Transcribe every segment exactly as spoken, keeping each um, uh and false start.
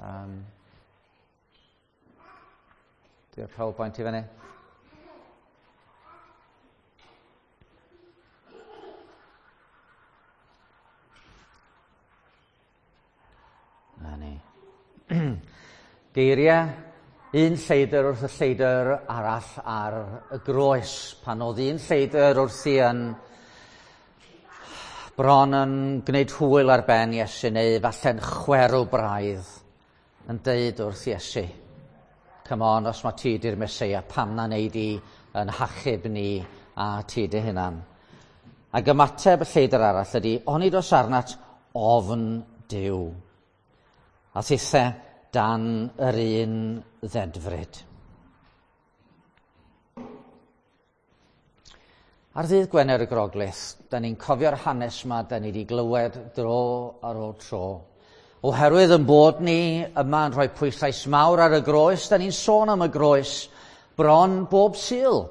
Um, Di'r PowerPoint i fyny. Na ni. Geiriau un lleidr wrth y lleidr arall ar y groes. Pan oedd un lleidr wrthi yn bron yn gwneud hwyl ar ben Iesu, neu falle'n chwerw braidd, yn deud wrth Iesu, come on, os mae ti di'r Meseia, pam na wneud i yn hachub ni a ti dy hunan. Ac ymateb y lleidr arall ydy, onid oes arnat ofn Duw. A thithe dan yr un ddedfryd. Ar ddydd Gwener y Groglith, da ni'n cofio'r hanes yma, da ni wedi glywed dro ar ôl tro. Oherwydd yn bod ni yma yn rhoi pwyslais mawr ar y groes, da ni'n sôn am y groes bron bob Sul.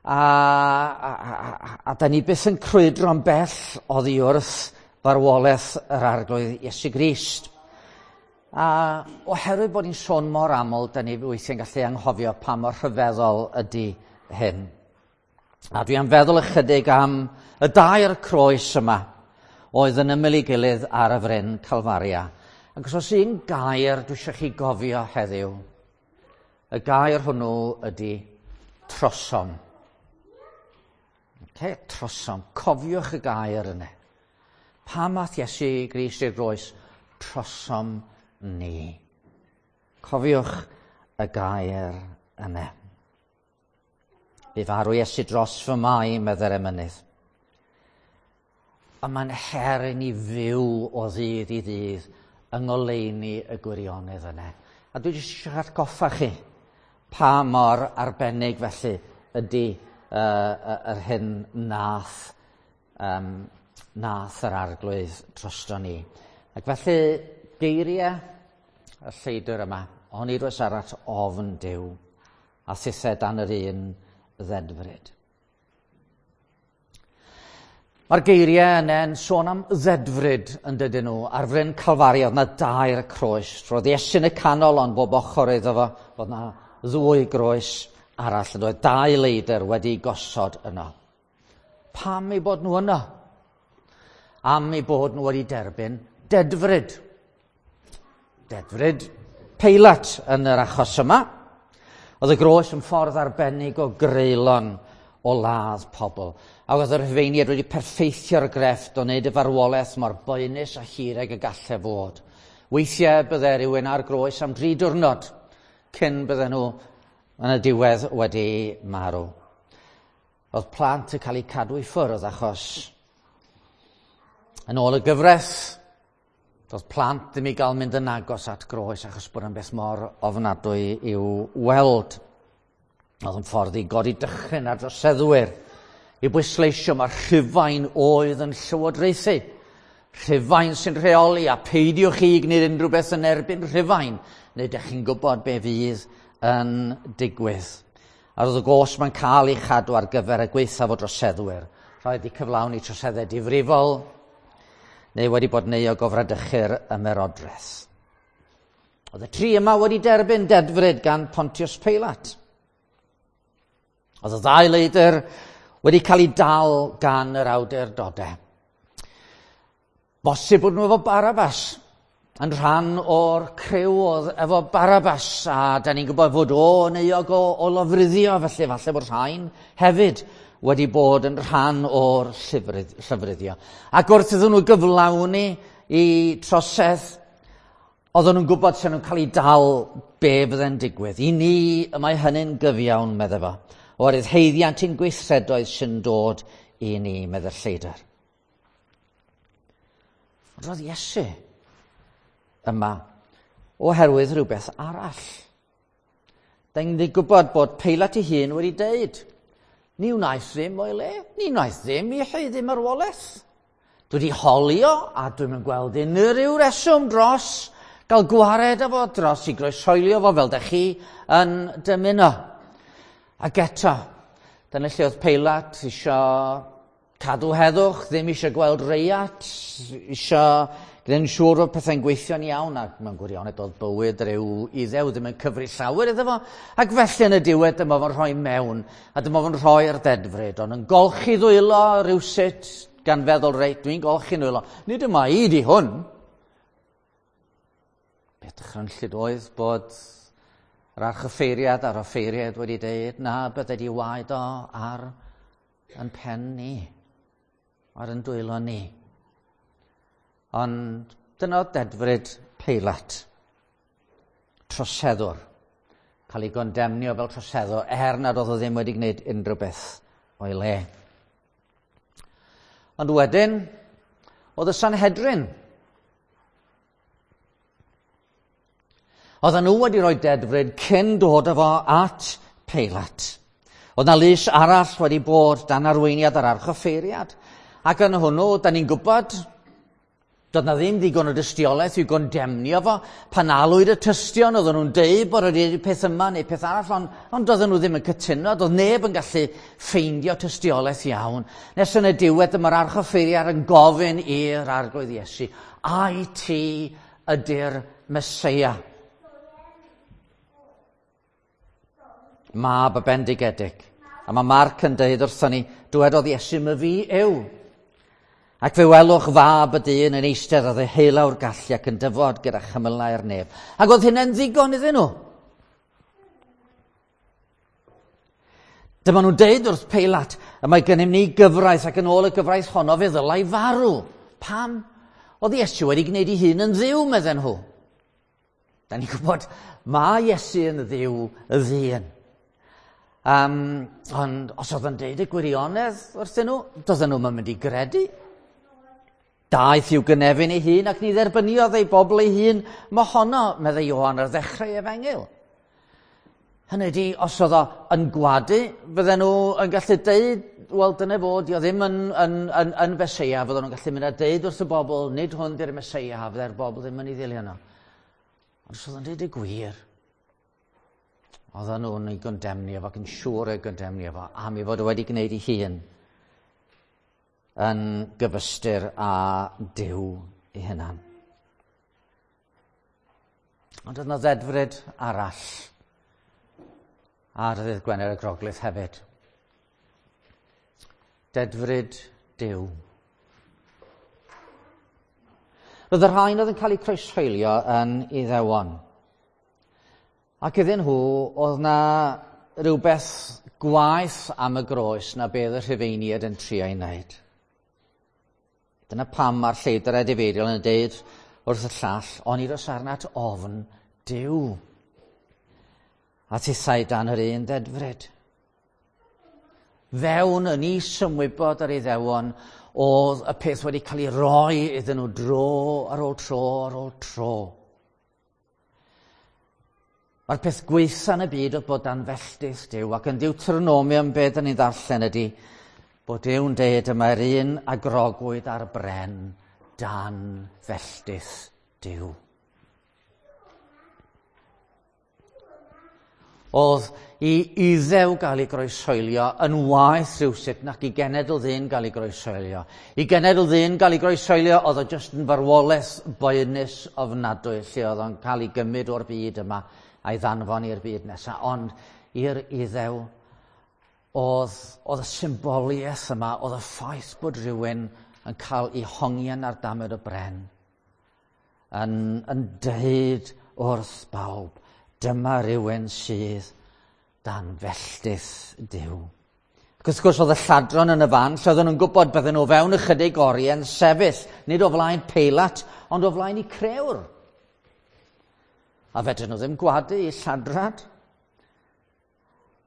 A, a, a, a da ni byth yn crwydro'n bell oddi wrth farwolaeth yr Arglwydd Iesu Grist. A oherwydd bod ni'n sôn mor aml, da ni weithiau'n gallu anghofio pa mor rhyfeddol ydy hyn. A dwi am feddwl ychydig am y dair croes yma oedd yn ymyl ei gilydd ar y fryn Calfaria. Ac os oes un gair dwi eisiau chi gofio heddiw, y gair hwnnw ydy trosom. Okay, trosom. Cofiwch y gair yna. Pam ath Iesu Grist i'r groes? Trosom ni. Cofiwch y gair yna. Bu farw Iesu dros fy mai, medde'r emynydd. A mae'n her i ni fyw o ddydd i ddydd yng ngoleuni y gwirionedd yna. A dwi jyst eisiau atgoffa chi pa mor arbennig felly ydy uh, yr hyn nath, um, nath yr Arglwydd drosto ni. Ac felly geiriau y lleidr yma, onid oes arall ofn Duw, a thithe dan yr un ddedfryd. Mae'r geiriau yna yn sôn am ddedfryd yn dydyn nhw. Ar fryn Calfaria oedd yna dair croes. Roedd Iesu yn y canol, ond bob ochr iddo fo, oedd yna ddwy groes arall. Yn oedd dau leidr wedi gosod yno. Pam eu bod nhw yno? Am eu bod nhw wedi derbyn dedfryd. Dedfryd Peilat yn yr achos yma. Oedd y groes yn ffordd arbennig o greulon o ladd pobl. A oedd yr Rhufeiniaid wedi perffeithio'r grefft o wneud y farwolaeth mor boenus a hir ag y gallai fod. Weithiau bydde rhywun ar groes am dri diwrnod cyn bydden nhw yn y diwedd wedi marw. Oedd plant yn cael eu cadw i ffwrdd achos yn ôl y gyfraith, doedd plant ddim i gael mynd yn agos at groes achos bod yn beth mor ofnadwy i'w weld. Oedd yn ffordd i godi dychryn ar droseddwyr, i bwysleisio mae Rhufain oedd yn llywodraethu. Rhufain sy'n rheoli, a peidiwch chi gwneud unrhyw beth yn erbyn Rhufain, neu dych chi'n gwybod be fydd yn digwydd. A roedd y gos mae'n cael ei chadw ar gyfer y gwaethaf o droseddwyr. Rhaid i cyflawni troseddau difrifol, neu wedi bod yn euog o fradychu'r ymerodraeth. Oedd y tri yma wedi derbyn dedfryd gan Pontius Peilat. Oedd y ddau leidr wedi cael eu dal gan yr awdurdodau. Bosib bod nhw efo Barabbas, yn rhan o'r criw oedd efo Barabbas, a da ni'n gwybod fod o yn euog o, o lofruddio, felly falle bod rhain hefyd wedi bod yn rhan o'r llofruddio. Ac wrth iddyn nhw gyflawni i trosedd, oedden nhw'n gwybod sy'n nhw'n cael eu dal be fydde'n digwydd. I ni, y mae hynny'n gyfiawn, medde fo. Oherwydd haeddiant i'n gweithredoedd sy'n dod i ni, medde'r lleidr. Ond roedd Iesu yma oherwydd rhywbeth arall. Da ni'n gwybod bod Peilat ei hun wedi deud, ni wnaeth ddim o'i le, ni wnaeth ddim i haeddu marwolaeth. Dwi wedi holio a dwi'm yn gweld unrhyw reswm dros gael gwared â fo, dros i groeshoelio fo fel dych chi yn dymuno. Ac eto, dyna lle oedd Peilat isio cadw heddwch, ddim eisiau gweld reiat, eisiau Gwneud yn siŵr bod pethau'n gweithio'n iawn, ac mewn gwirionedd doedd bywyd rhyw Iddew ddim yn cyfri llawer iddo fo. Ac felly yn y diwedd dyma fo'n rhoi mewn, a dyma fo'n rhoi'r ddedfryd, ond yn golchi ddwylo rhywsut, gan feddwl, reit, dwi'n golchi nwylo. Nid yma i di hwn. Beth dychrynllyd oedd bod yr archoffeiriad a'r offeiriad wedi deud, na, bydde di waed o ar yn pen ni, ar yn dwylo ni. Ond dyna oedd dedfryd Peilat, troseddwr, cael ei gondemnio fel troseddwr, er nad oedd o ddim wedi gwneud unrhyw beth o'i le. Ond wedyn, oedd y Sanhedrin. Oedden nhw wedi rhoi dedfryd cyn dod â fo at Peilat. Oedd 'na lys arall wedi bod dan arweiniad yr archoffeiriad, ac yn hwnnw, da ni'n gwybod, doedd 'na ddim ddigon o dystiolaeth i'w gondemnio fo. Pan alwyd y tystion, oedden nhw'n deud bod wedi gwneud peth yma neu peth arall, ond, ond doedden nhw ddim yn cytuno, doedd neb yn gallu ffeindio tystiolaeth iawn. Nes yn y diwedd, dyma'r archoffeiriad yn gofyn i'r Arglwydd Iesu, ai ti ydy'r Meseia? Mab y bendigedig. A mae Marc yn deud wrthon ni, dywedodd Iesu, my fi yw. Ac fe welwch fab y dyn yn eistedd ar ddeheulaw'r gallu ac yn dyfod gyda chymylau'r nef. Ac oedd hynny'n ddigon iddyn nhw. Dyma nhw'n deud wrth Peilat, y mae gennym ni gyfraith ac yn ôl y gyfraith honno fe ddylai farw. Pam? Oedd Iesu wedi gwneud ei hun yn ddiw, medden nhw. Da ni'n gwybod, mae Iesu yn ddiw y ddyn. Um, ond os oedd yn deud y gwirionedd wrthyn nhw, doedden nhw'n mynd i gredu. Daeth i'w gynefin ei hun ac ni dderbyniodd ei bobl ei hun mohono, meddai Ioan ar ddechrau efengyl. Hynny ydi, os oedd o yn gwadu, fydden nhw yn gallu deud, wel dyna fo, di o ddim yn, yn, yn, yn Feseia, fydden nhw'n gallu mynd a deud wrth y bobl, nid hwn di'r Meseia, fydde'r bobl ddim yn ei ddilyn nhw. Ond os oedd o'n deud y gwir, oedden nhw'n ei gondemnio fo ac yn siŵr ei gondemnio fo, am ei fod o wedi gwneud ei hun yn gyfystyr â Duw ei hunan. Ond oedd yna ddedfryd arall ar ddydd Gwener y Groglith hefyd. Dedfryd Duw. Roedd y rhain oedd yn cael eu croeshoelio yn Iddewon. Ac iddyn nhw, oedd na rhywbeth gwaeth am y groes na beth y Rhufeiniaid yn trio ei wneud. Dyna pam mae'r lleidr edifeiriol yn deud wrth y llall, onid oes arnat ofn Duw. A tithau dan yr un ddedfryd. Fewn yn is-ymwybod yr Iddewon oedd y peth wedi cael ei roi iddyn nhw dro ar ôl tro ar ôl tro. Mae'r peth gwaetha yn y byd oedd bod dan felltith Duw, ac yn Deuteronomium be dan ni'n ddarllen ydy bod Duw'n deud y mae'r un a grogwyd ar bren dan felltith Duw. Oedd i Iddew gael ei groeshoelio yn waeth rhywsut nac i genedl ddyn gael ei groeshoelio. I genedl ddyn gael ei groeshoelio oedd o jyst yn farwolaeth boenus ofnadwy lle oedd o'n cael ei gymryd o'r byd yma a'i ddanfon i'r byd nesaf. Ond i'r Iddew oedd, oedd y symboliaeth yma, oedd y ffaith bod rhywun yn cael ei hongian ar damed o bren yn, yn deud wrth bawb, dyma rhywun sydd dan felltith Duw. Ac wrth gwrs oedd y lladron yn y fan, lle oedden nhw'n gwybod bydden nhw fewn ychydig oriau yn sefyll, nid o flaen Peilat, ond o flaen eu crewr. A fedryn nhw ddim gwadu i lladrad.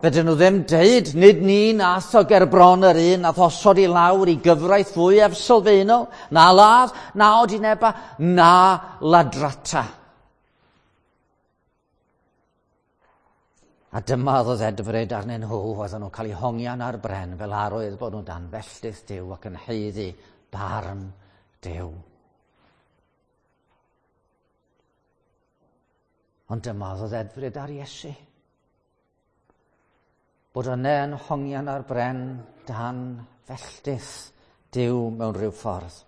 Fedryn nhw ddim deud, nid ni nath o gerbron yr un, nath osod i lawr i gyfraith fwyaf sylfaenol, na ladd, na odineba, na ladrata. A dyma oedd o ddedfryd arnyn nhw, oedden nhw'n cael eu hongian ar bren fel arwydd bod nhw'n dan felltith Duw ac yn haeddu barn Duw. Ond dyma oedd o ddedfryd ar Iesu. Bod yna yn hongian ar bren dan felltith Duw mewn rhyw ffordd.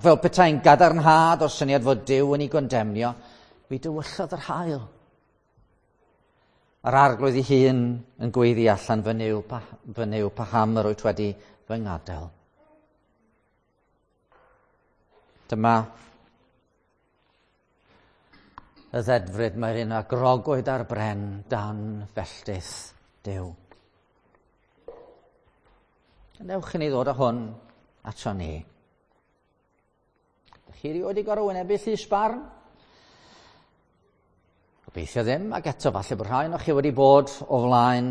Fel petai'n gadarnhad o'r syniad fod Duw yn ei gondemnio, mi dywyllodd yr haul. A'r Arglwydd ei hun yn gweiddi allan, fy Nuw, fy Nuw, paham yr wyt wedi fy ngadael. Dyma y ddedfryd mae'r un a grogwyd ar bren dan felltith Duw. Newch i ni ddod â hwn ato ni. Ydych chi erioed wedi gorfod wynebu llys barn? Gobeithio ddim, ac eto falle bod rhai ohonoch chi wedi bod o flaen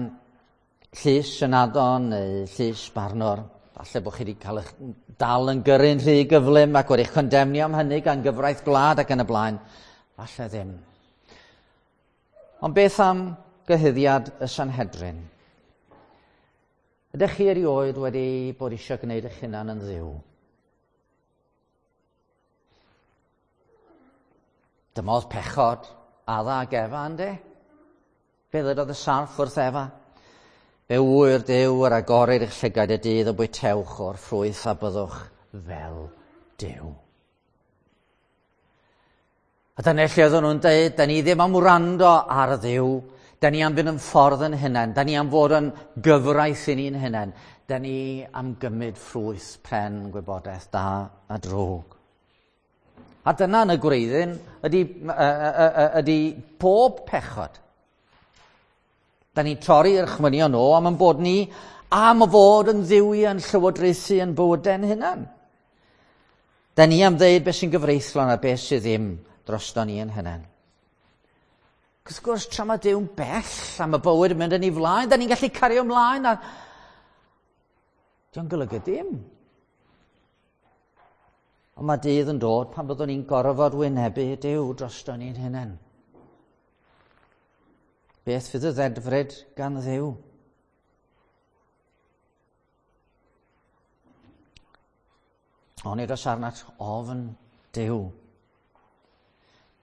llys ynadon neu llys barnwr. Falle bod chi wedi cael eich dal yn gyrru'n rhy gyflym ac wedi'ch condemnio am hynny gan gyfraith gwlad ac yn y blaen. Falle ddim. Ond beth am gyhuddiad y Sanhedrin? Ydych chi erioed wedi bod eisiau gwneud eich hunan yn Dduw? Dyma oedd pechod Adda ac Efa, yndê? Fe ddydodd y sarff wrth Efa? Fe ŵyr Duw yr agorir eich llygaid y dydd y bwytewch o'r ffrwyth a byddwch fel Duw. A dyna lle oedden nhw'n dweud, da ni ddim am wrando ar Dduw, da ni am fynd yn ffordd yn hunain, da ni am fod yn gyfraith i ni'n hunain, da ni am gymryd ffrwyth pren gwybodaeth da a drwg. A dyna yn y gwreiddyn ydy, ydy pob pechod. Da ni'n torri'r chwynion o am yn bod ni am fod yn dduwiau yn llywodraethu yn bywydau'n hunan. Da ni am ddeud beth sy'n gyfreithlon a beth sydd ddim drosto ni yn hunan. Wrth gwrs, tra mae Duw'n bell am y bywyd yn mynd yn ei flaen, da ni'n gallu cario ymlaen a dio'n golygu dim. Ond mae dydd yn dod pan byddwn ni'n gorfod wynebu Duw drosto ni'n hunan. Beth fydd y ddedfryd gan Dduw? Onid oes arnat ofn Duw?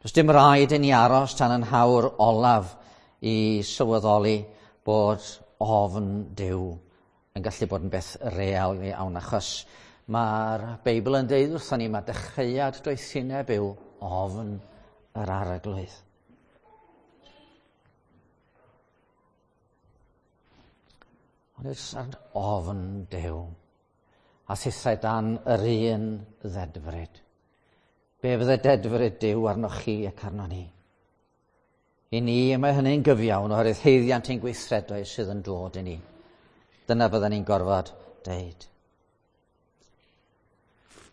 Does dim rhaid i ni aros tan yn hawr olaf i sylweddoli bod ofn Duw yn gallu bod yn beth real iawn, achos mae'r Beibl yn deud wrthon ni mae dechreuad doethineb yw ofn yr Arglwydd. Ond oes ofn Duw a thithau dan yr un ddedfryd. Be fydde dedfryd Duw arnoch chi ac arno ni? I ni, mae hynny'n gyfiawn oherwydd haeddiant ein gweithredoedd sydd yn dod i ni. Dyna fydden ni'n gorfod deud.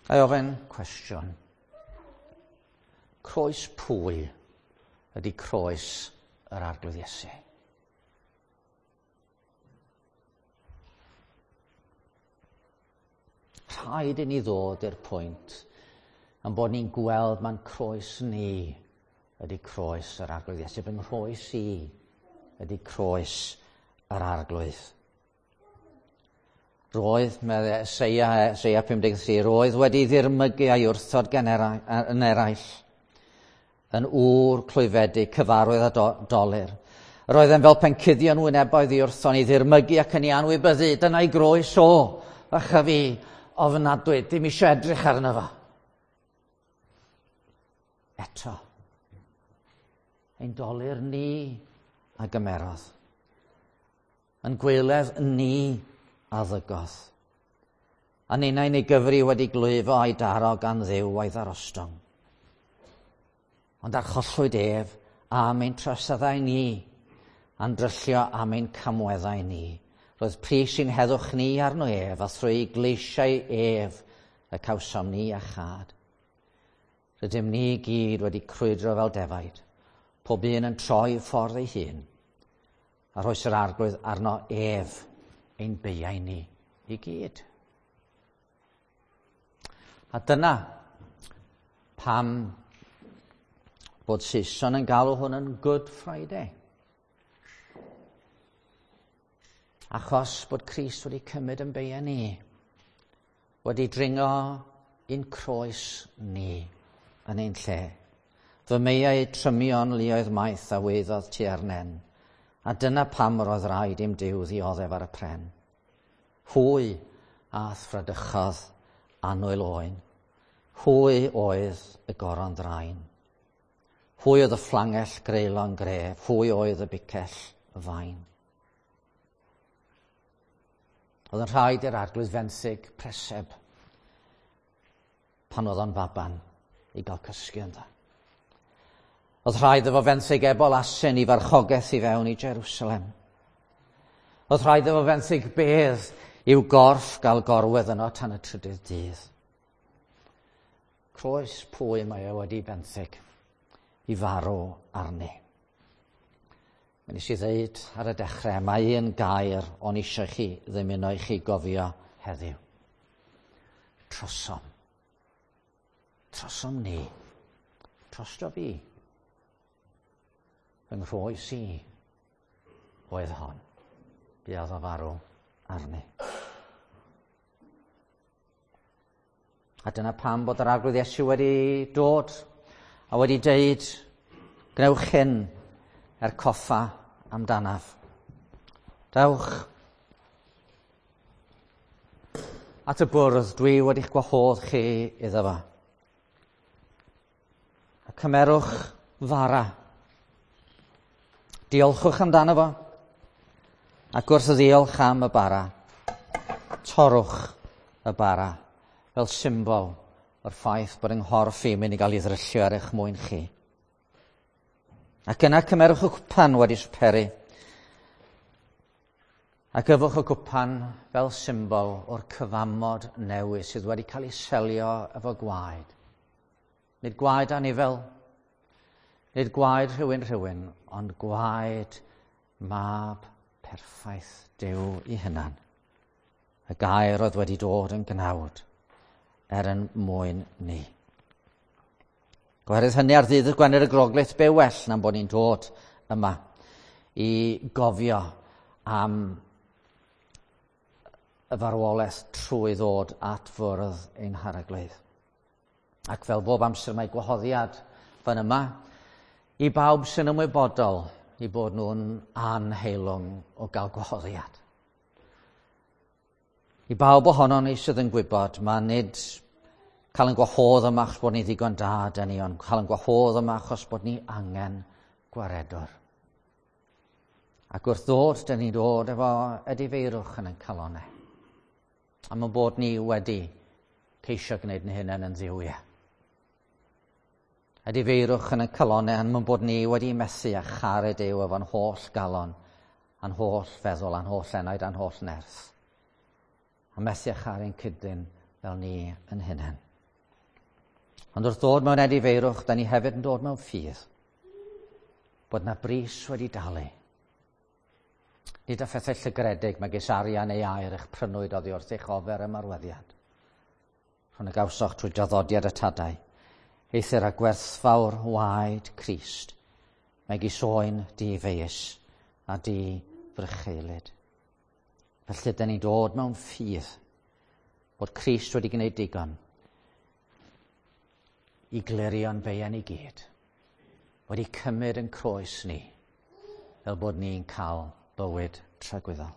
Ga i ofyn cwestiwn. Croes pwy ydy croes yr Arglwydd Iesu? Rhaid i ni ddod i'r pwynt yn bod ni'n gweld ma'n croes ni ydy croes yr Arglwydd Iesu. Fy nghroes i ydy croes yr Arglwydd. Roedd, meddai Eseia, Eseia pum deg tri, roedd wedi ddirmygu a'i wrthod gan yn eraill, yn ŵr clwyfedig, cyfarwydd a do, dolur. Roedd e'n fel pencuddion wyneboedd i wrthon i ddirmygu ac yn ei anwybyddu. Dyna'i groes o, ach a fi, ofnadwy, dim eisiau edrych arno fo. Eto, ein dolur ni a gymerodd, yn gweledd ni a ddygodd. A ninnau'n ei gyfri wedi glwyfo a'i daro gan Dduw a'i ddarostwng. Ond archollwyd ef am ein troseddau ni, a'n dryllio am ein camweddau ni. Roedd pris i'n heddwch ni arno ef, a thrwy gleisiau ef y cawsom ni a chad. Rydym ni gyd wedi crwydro fel defaid, pob un yn troi ffordd ei hun, a rhoes yr Arglwydd arno ef ein beiau ni i gyd. A dyna pam bod Saeson yn galw hwn yn Good Friday. Achos bod Crist wedi cymryd yn beiau ni, wedi dringo ein croes ni yn ein lle. Fy meiau trymion luoedd maith a weiddodd tua'r nen, a dyna pam yr oedd rhaid i'm Duw ddioddef ar y pren. Hwy a'th fradychodd annwyl oen, Hwy oedd y goron ddrain. Hwy oedd y fflangell greulon gref. Hwy oedd y bicell y fain. Oedd yn rhaid i'r arglwydd fenthyg preseb pan oedd o'n faban i gael cysgu ynddo. Oedd rhaid iddo fenthyg ebol asyn i farchogaeth i fewn i Jerusalem. Oedd rhaid iddo fenthyg bedd i'w gorff gael gorwedd yno tan y trydydd dydd. Croes pwy mae e wedi benthyg i farw arni. Mi nes i ddeud ar y dechrau, mae un gair o'n eisiau chi ddymuno i chi gofio heddiw. Trosom. Trosom ni. Trosto fi. Fy nghroes i oedd hon. Buodd o farw arni. A dyna pam bod yr Arglwydd Iesu wedi dod a wedi deud, gwnewch hyn er coffa amdanaf. Dewch at y bwrdd dwi wedi'ch gwahodd chi iddo fo. A cymerwch fara. Diolchwch amdano fo. Ac wrth ddiolch am y bara, torrwch y bara fel symbol o'r ffaith bod yng nghorff i mynd i gael ei ddryllio ar eich mwyn chi. Ac yna cymerwch y cwpan wedi swperu. Ac yfwch y cwpan fel symbol o'r cyfamod newydd sydd wedi cael ei selio efo gwaed. Nid gwaed anifel, nid gwaed rhywun rhywun, ond gwaed mab perffaith Duw i hunan. Y gair oedd wedi dod yn gnawd er yn mwyn ni. Gwerth hynny ar ddydd y Gwener y Groglith, be well na'n bod ni'n dod yma i gofio am y farwolaeth trwy ddod at fwrdd ein harglwydd. Ac fel bob amser mae gwahoddiad fan yma i bawb sy'n ymwybodol i bod nhw'n anheilwng o gael gwahoddiad. I bawb ohonon ni sydd yn gwybod, mae nid cael yn gwahodd yma achos bod ni ddigon da dyn ni, ond cael yn gwahodd yma achos bod ni angen gwaredwr. Ac wrth ddod, dyn ni'n dod efo edifeirwch yn ein calonau. Am y bod ni wedi ceisio gwneud yn hunain yn dduwiau. Edifeirwch yn ein calonau am bod ni wedi methu a charu Duw efo'n holl galon, a'n holl feddwl, a'n holl enaid, a'n holl nerth. A methu a charu'n cydyn fel ni yn hunain. Ond wrth ddod mewn edifeirwch, da ni hefyd yn dod mewn ffydd. Bod na bris wedi dalu. Nid â phethau llygredig megis arian neu aur eich prynwyd oddi wrth eich ofer ymarweddiad. Rhwng y gawsoch trwy draddodiad y tadau, eithr a gwerthfawr waed Crist, megis oen di-feius a di-frycheulyd. Felly, dyn ni'n dod mewn ffydd bod Crist wedi gwneud digon i glirio'n beiau ni gyd, wedi cymryd yn croes ni, fel bod ni'n cael bywyd tragwyddol.